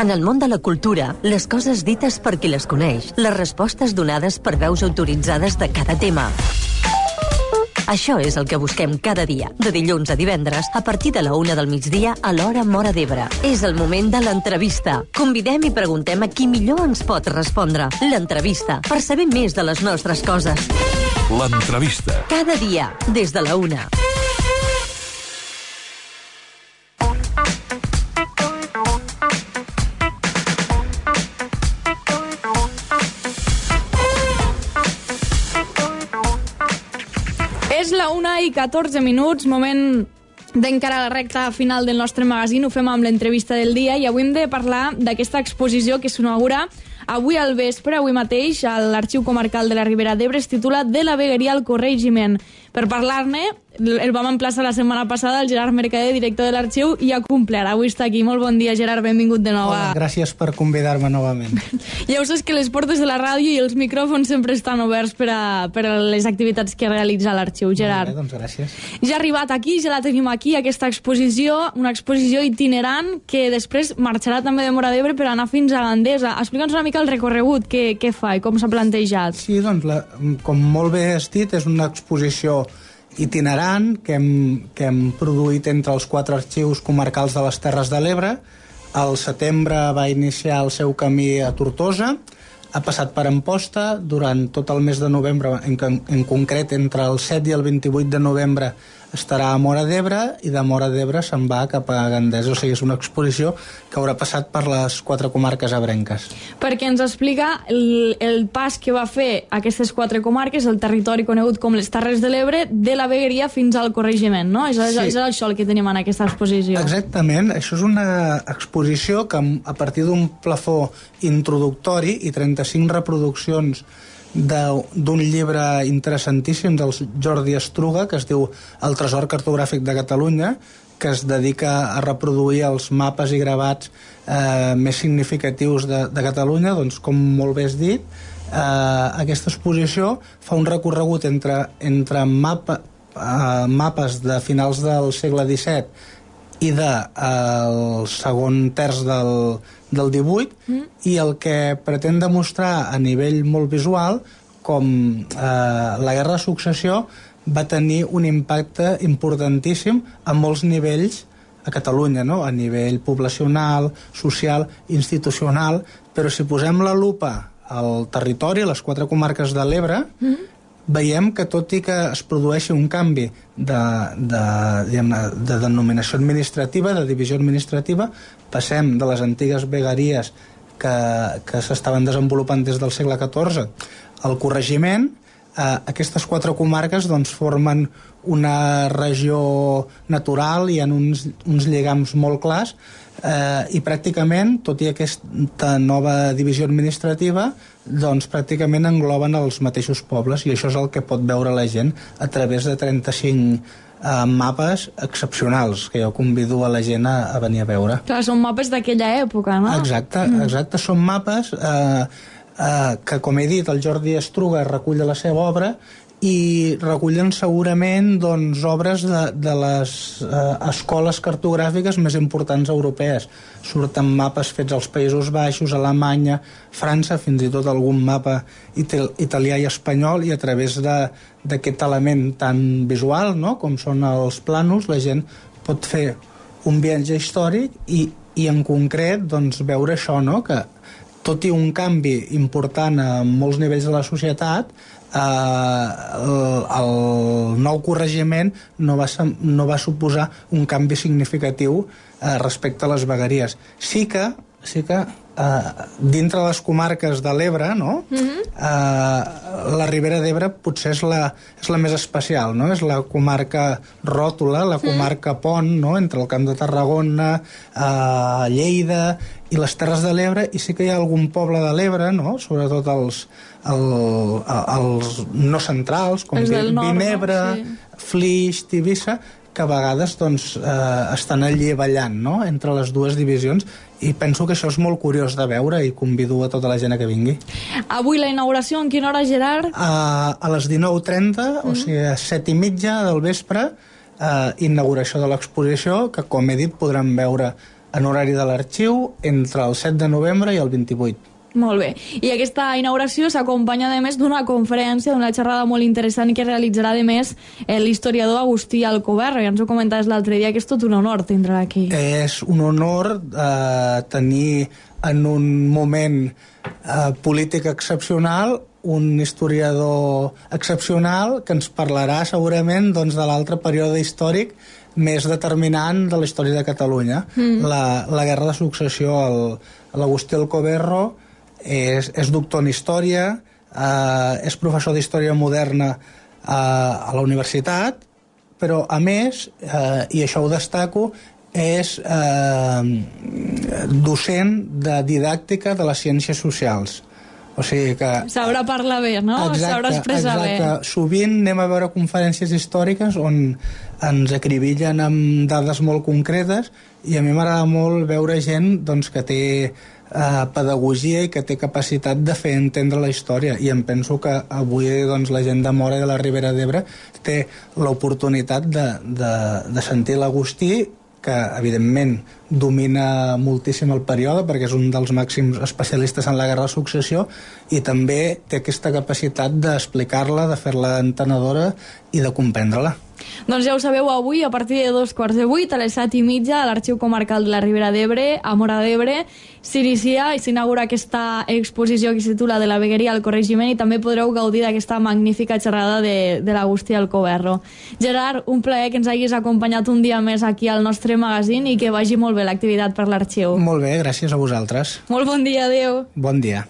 En el món de la cultura, les coses dites per qui les coneix, les respostes donades per veus autoritzades de cada tema. Això és el que busquem cada dia, de dilluns a divendres, a partir de la 1 del migdia a l'hora Móra d'Ebre. És el moment de l'entrevista. Convidem i preguntem a qui millor ens pot respondre. L'entrevista, per saber més de les nostres coses. L'entrevista. Cada dia, des de la 1. És la 1:14, moment d'encarar la recta final del nostre magazín. Ho fem amb l'entrevista del dia i avui hem de parlar d'aquesta exposició que s'inaugura avui al vespre, avui mateix, a l'Arxiu Comarcal de la Ribera d'Ebre. Es titula De la vegueria al corregiment. Per parlar-ne, el vam emplaçar la setmana passada, el Gerard Mercader, director de l'arxiu, i ha complert. Avui està aquí. Molt bon dia, Gerard, benvingut de nou. Hola, gràcies per convidar-me novament. Ja ho saps que les portes de la ràdio i els micròfons sempre estan oberts per a les activitats que realitza l'arxiu, Gerard. Molt bé, doncs gràcies. Ja ha arribat aquí, ja la tenim aquí, aquesta exposició, una exposició itinerant que després marxarà també de Móra d'Ebre per anar fins a Gandesa. Explica'ns una mica el recorregut, què fa i com s'ha plantejat. Sí, doncs, com molt bé has dit, és una exposició itinerant que hem produït entre els 4 arxius comarcals de les Terres de l'Ebre. Al setembre va iniciar el seu camí a Tortosa, ha passat per Amposta, durant tot el mes de novembre, en concret entre el 7 i el 28 de novembre estarà a Móra d'Ebre i de Móra d'Ebre se'n va cap a Gandesa. O sigui, és una exposició que haurà passat per les 4 comarques ebrenques. Perquè ens explica el pas que va fer aquestes 4 comarques, el territori conegut com les Terres de l'Ebre, de la vegueria fins al corregiment, no? És això el que tenim en aquesta exposició. Exactament. Això és una exposició que a partir d'un plafó introductori i 35 reproduccions d'un llibre interessantíssim del Jordi Estruga que es diu El tresor cartogràfic de Catalunya, que es dedica a reproduir els mapes i gravats més significatius de Catalunya. Doncs, com molt bé has dit, aquesta exposició fa un recorregut entre mapes de finals del segle XVII i del segon terç del 18 i el que pretén demostrar a nivell molt visual com la Guerra de Successió va tenir un impacte importantíssim a molts nivells a Catalunya, no? A nivell poblacional, social, institucional, però si posem la lupa al territori, a les 4 comarques de l'Ebre, veiem que tot i que es produeixi un canvi de denominació administrativa, de divisió administrativa, passem de les antigues vegueries que s'estaven desenvolupant des del segle XIV al corregiment. Aquestes 4 comarques doncs, formen una regió natural, hi ha uns lligams molt clars i pràcticament, tot i aquesta nova divisió administrativa, doncs pràcticament engloben els mateixos pobles, i això és el que pot veure la gent a través de 35 mapes excepcionals que jo convido a la gent a venir a veure. Clar, són mapes d'aquella època, no? Exacte, són mapes que, com he dit, el Jordi Estruga recull de la seva obra i recullen segurament doncs, obres de les escoles cartogràfiques més importants europees. Surten mapes fets als Països Baixos, Alemanya, França, fins i tot algun mapa italià i espanyol, i a través d'aquest element tan visual, no?, com són els plànols, la gent pot fer un viatge històric i en concret doncs, veure això, no?, que tot i un canvi important a molts nivells de la societat, el nou corregiment no va suposar un canvi significatiu respecte a les vegueries. Sí que dintre les comarques de l'Ebre, no? La Ribera d'Ebre potser és la més especial, no? És la comarca ròtula, la comarca pont, no?, entre el Camp de Tarragona, Lleida i les Terres de l'Ebre, i sí que hi ha algun poble de l'Ebre, no?, sobretot els no centrals, com Vinebre, no? Sí. Flix, Tivissa, que a vegades doncs, estan allí ballant, no?, entre les dues divisions, i penso que això és molt curiós de veure i convido a tota la gent a que vingui. Avui la inauguració, en quina hora, Gerard? A les 19:30, o sigui, a 7:30 del vespre, inauguració de l'exposició, que, com he dit, podran veure en horari de l'arxiu entre el 7 de novembre i el 28. Molt bé. I aquesta inauguració s'acompanya, a més, d'una conferència, d'una xerrada molt interessant que realitzarà, a més, l'historiador Agustí Alcoberro. Ja ens ho comentaves l'altre dia, que és tot un honor tindre aquí. És un honor tenir en un moment polític excepcional un historiador excepcional que ens parlarà segurament doncs, de l'altre període històric més determinant de la història de Catalunya. La Guerra de Successió. L'Agustí Alcoberro és doctor en Història, és professor d'Història Moderna a la universitat, però a més, i això ho destaco, és docent de didàctica de les ciències socials. O sigui que... Sabrà parlar bé, no? Sabrà expressar bé. Sovint anem a veure conferències històriques on ens acribillen amb dades molt concretes, i a mi m'agrada molt veure gent doncs, que té pedagogia i que té capacitat de fer entendre la història, i em penso que avui doncs, la gent de Móra i de la Ribera d'Ebre té l'oportunitat de sentir l'Agustí, que evidentment domina moltíssim el període perquè és un dels màxims especialistes en la Guerra de Successió, i també té aquesta capacitat d'explicar-la, de fer-la entenedora i de comprendre-la. Doncs ja ho sabeu, avui a partir de 7:15 a les 7:30 a l'Arxiu Comarcal de la Ribera d'Ebre, a Móra d'Ebre, s'inicia i s'inaugura aquesta exposició que es titula De la vegueria al corregiment, i també podreu gaudir d'aquesta magnífica xerrada de l'Agustí Alcoberro. Gerard, un plaer que ens hagis acompanyat un dia més aquí al nostre magazín i que vagi molt bé l'activitat per l'Arxiu. Molt bé, gràcies a vosaltres. Molt bon dia, adeu. Bon dia.